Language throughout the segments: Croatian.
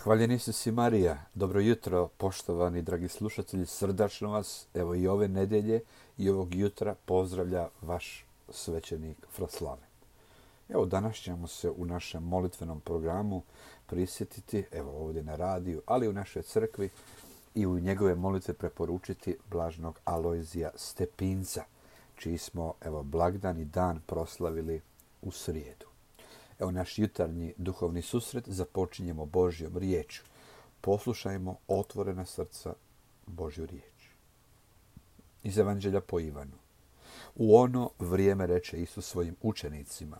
Hvaljeni si Marija, dobro jutro, poštovani dragi slušatelji, srdačno vas, evo i ove nedjelje i ovog jutra pozdravlja vaš svećenik Fraslave. Evo danas ćemo se u našem molitvenom programu prisjetiti, evo ovdje na radiju, ali u našoj crkvi i u njegove molitve preporučiti blaženog Alojzija Stepinca, čiji smo blagdan i dan proslavili u srijedu. Evo naš jutarnji duhovni susret započinjemo Božjom riječju. Poslušajmo otvorena srca Božju riječ. Iz Evanđelja po Ivanu. U ono vrijeme reče Isus svojim učenicima: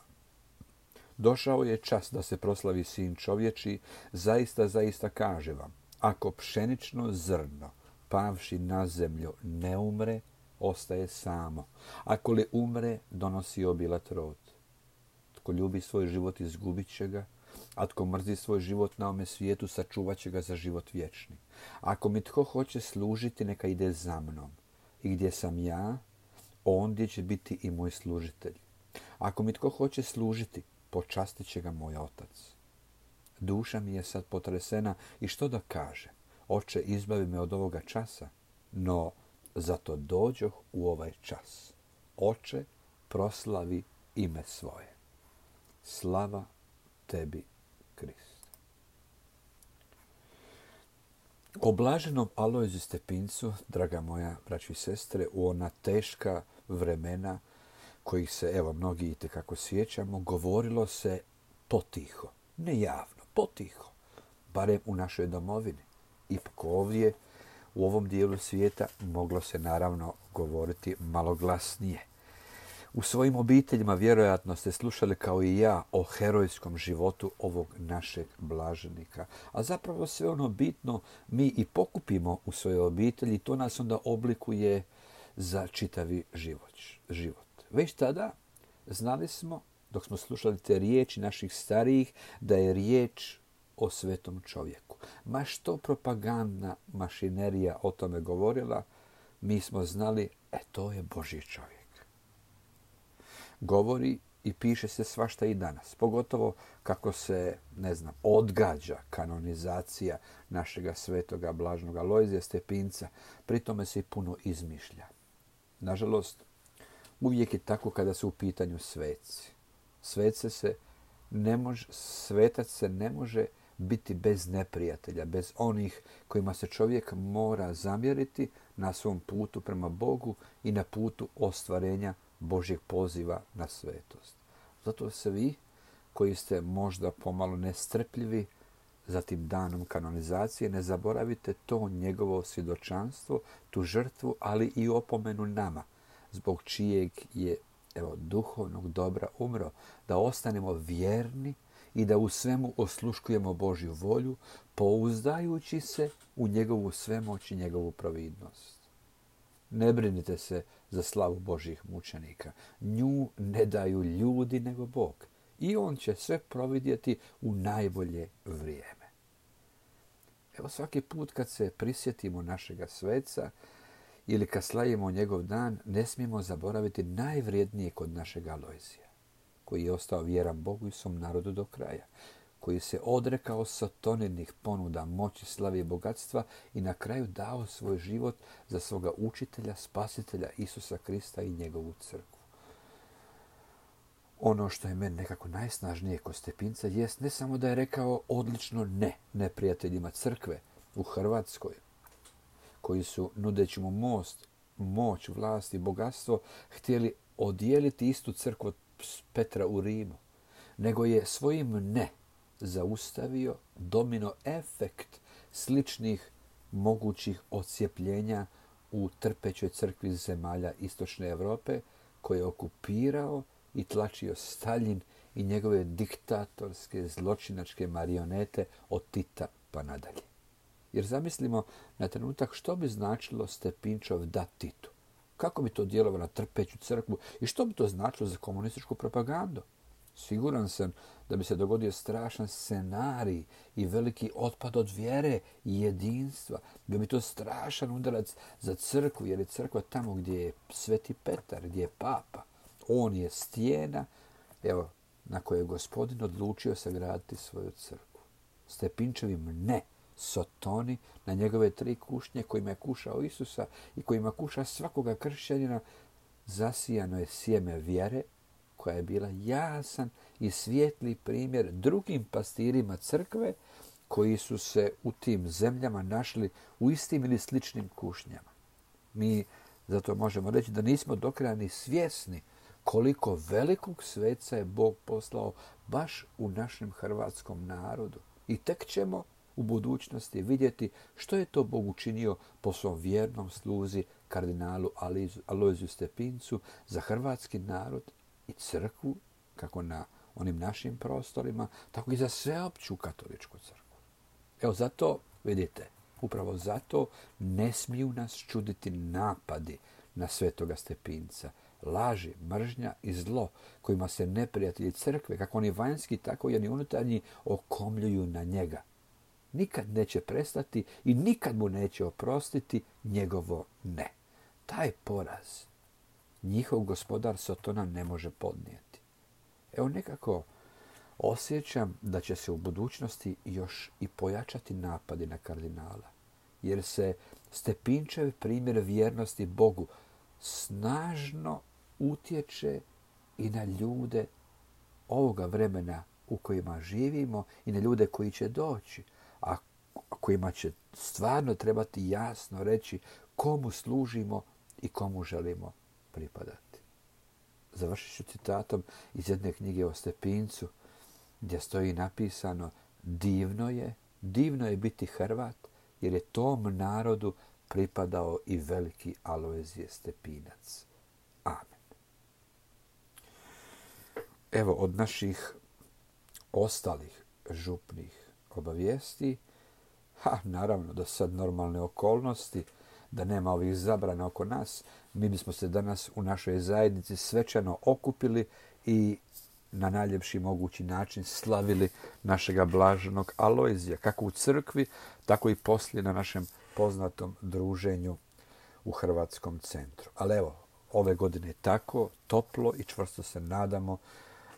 Došao je čas da se proslavi Sin čovječji, zaista, zaista kaže vam, ako pšenično zrno, pavši na zemlju, ne umre, ostaje samo. Ako li umre, donosi obilat rod. Tko ljubi svoj život, izgubit će ga, a tko mrzi svoj život na ovome svijetu, sačuvat će ga za život vječni. Ako mi tko hoće služiti, neka ide za mnom. I gdje sam ja, ondje će biti i moj služitelj. Ako mi tko hoće služiti, počastit će ga moj otac. Duša mi je sad potresena i što da kažem? Oče, izbavi me od ovoga časa. No, zato dođoh u ovaj čas. Oče, proslavi ime svoje. Slava tebi, Kriste. O blaženom Alojziju Stepincu, draga moja braćo i sestre, u ona teška vremena kojih se mnogi itekako sjećamo, govorilo se potiho, ne javno, potiho, barem u našoj domovini. Ipak ovdje, u ovom dijelu svijeta, moglo se naravno govoriti malo glasnije. U svojim obiteljima vjerojatno ste slušali kao i ja o herojskom životu ovog našeg blaženika. A zapravo sve ono bitno mi i pokupimo u svojoj obitelji i to nas onda oblikuje za čitavi život. Već tada znali smo, dok smo slušali te riječi naših starijih, da je riječ o svetom čovjeku. Ma što propagandna mašinerija o tome govorila, mi smo znali, to je Božji čovjek. Govori i piše se svašta i danas. Pogotovo kako se, odgađa kanonizacija našega svetoga blaženog Alojzija Stepinca. Pri tome se i puno izmišlja. Nažalost, uvijek je tako kada su u pitanju sveci. Svetac se ne može biti bez neprijatelja, bez onih kojima se čovjek mora zamjeriti na svom putu prema Bogu i na putu ostvarenja Božjeg poziva na svetost. Zato se vi, koji ste možda pomalo nestrpljivi za tim danom kanonizacije, ne zaboravite to njegovo svjedočanstvo, tu žrtvu, ali i opomenu nama, zbog čijeg je duhovnog dobra umro, da ostanemo vjerni i da u svemu osluškujemo Božju volju, pouzdajući se u njegovu svemoć i njegovu providnost. Ne brinite se za slavu Božjih mučenika. Nju ne daju ljudi nego Bog. I on će sve providjeti u najbolje vrijeme. Svaki put kad se prisjetimo našega sveca ili kad slavimo njegov dan, ne smijemo zaboraviti najvrijednije kod našega Alojzija, koji je ostao vjeran Bogu i svom narodu do kraja, koji se odrekao satoninih ponuda moći, slave i bogatstva i na kraju dao svoj život za svoga učitelja, spasitelja Isusa Krista i njegovu crkvu. Ono što je meni nekako najsnažnije kod Stepinca jest ne samo da je rekao odlično ne neprijateljima crkve u Hrvatskoj, koji su, nudeći mu moć, vlast i bogatstvo, htjeli odijeliti istu crkvu od Petra u Rimu, nego je svojim ne zaustavio domino efekt sličnih mogućih odcjepljenja u trpećoj crkvi zemalja Istočne Europe, koje je okupirao i tlačio Staljin i njegove diktatorske, zločinačke marionete od Tita pa nadalje. Jer zamislimo na trenutak što bi značilo Stepinčov da Titu. Kako bi to djelovalo na trpeću crkvu i što bi to značilo za komunističku propagandu? Siguran sam da bi se dogodio strašan scenarij i veliki otpad od vjere i jedinstva. Bio bi to strašan udarac za crkvu, jer je crkva tamo gdje je Sveti Petar, gdje je Papa. On je stijena, na kojoj je Gospodin odlučio sagraditi svoju crkvu. stepinčevim ne Sotoni na njegove 3 kušnje kojima je kušao Isusa i kojima kuša svakoga kršćanina, zasijano je sjeme vjere koja je bila jasan i svijetli primjer drugim pastirima crkve koji su se u tim zemljama našli u istim ili sličnim kušnjama. Mi zato možemo reći da nismo do kraja ni svjesni koliko velikog sveca je Bog poslao baš u našem hrvatskom narodu. I tek ćemo u budućnosti vidjeti što je to Bog učinio po svom vjernom sluzi kardinalu Alojziju Stepincu za hrvatski narod i crkvu, kako na onim našim prostorima, tako i za sveopću katoličku crkvu. Evo zato, vidite, upravo zato ne smiju nas čuditi napadi na svetoga Stepinca, laži, mržnja i zlo kojima se neprijatelji crkve, kako oni vanjski, tako i oni unutarnji, okomljuju na njega. Nikad neće prestati i nikad mu neće oprostiti njegovo ne. Taj poraz njihov gospodar Sotona ne može podnijeti. Evo nekako osjećam da će se u budućnosti još i pojačati napadi na kardinala, jer se Stepinčev primjer vjernosti Bogu snažno utječe i na ljude ovoga vremena u kojima živimo i na ljude koji će doći, a kojima će stvarno trebati jasno reći komu služimo i komu želimo pripadati. Završit ću citatom iz jedne knjige o Stepincu gdje stoji napisano: divno je biti Hrvat, jer je tom narodu pripadao i veliki Alojzije Stepinac. Amen. Evo od naših ostalih župnih obavijesti, naravno da sad normalne okolnosti, da nema ovih zabrana oko nas, mi bismo se danas u našoj zajednici svečano okupili i na najljepši mogući način slavili našega blaženog Alojzija, kako u crkvi, tako i poslije na našem poznatom druženju u Hrvatskom centru. Ali evo, ove godine tako toplo i čvrsto se nadamo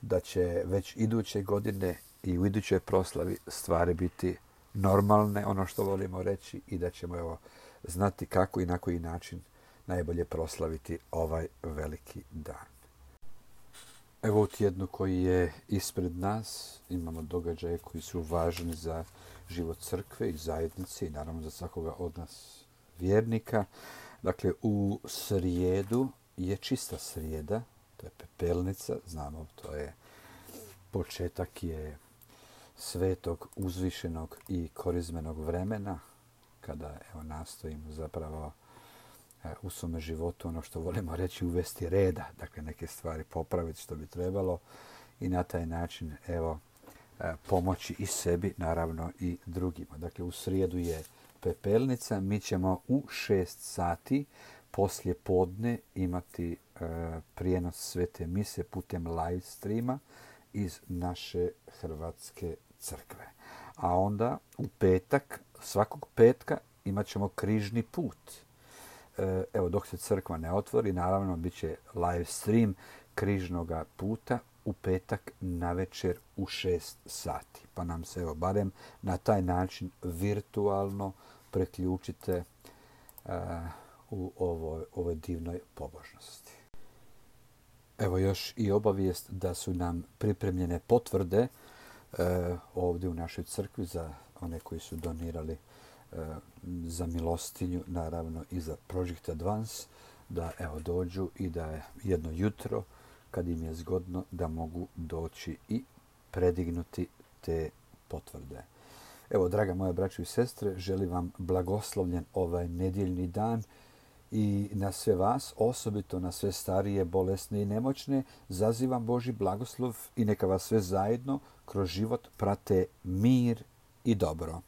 da će već iduće godine i u idućoj proslavi stvari biti normalne, ono što volimo reći, i da ćemo znati kako i na koji način najbolje proslaviti ovaj veliki dan. Evo u tjednu koji je ispred nas imamo događaje koji su važni za život crkve i zajednice i naravno za svakoga od nas vjernika. Dakle, u srijedu je čista srijeda, to je pepelnica, znamo, to je početak je svetog, uzvišenog i korizmenog vremena, kada nastojimo zapravo u svome životu, ono što volimo reći, uvesti reda, dakle neke stvari popraviti što bi trebalo i na taj način pomoći i sebi, naravno i drugima. Dakle, u srijedu je pepelnica, mi ćemo u 6 sati poslije podne imati prijenos svete mise putem live streama iz naše Hrvatske crkve. A onda u petak, svakog petka, imat ćemo križni put. Evo, dok se crkva ne otvori, naravno bit će live stream križnoga puta u petak navečer u 6 sati. Pa nam se barem na taj način virtualno preključite u ovoj divnoj pobožnosti. Evo još i obavijest da su nam pripremljene potvrde ovdje u našoj crkvi za one koji su donirali za milostinju, naravno i za Project Advance, da dođu i da jedno jutro, kad im je zgodno, da mogu doći i predignuti te potvrde. Evo, draga moja braćo i sestre, želim vam blagoslovljen ovaj nedjeljni dan i na sve vas, osobito na sve starije, bolesne i nemoćne, zazivam Božji blagoslov i neka vas sve zajedno kroz život prate mir i dobro.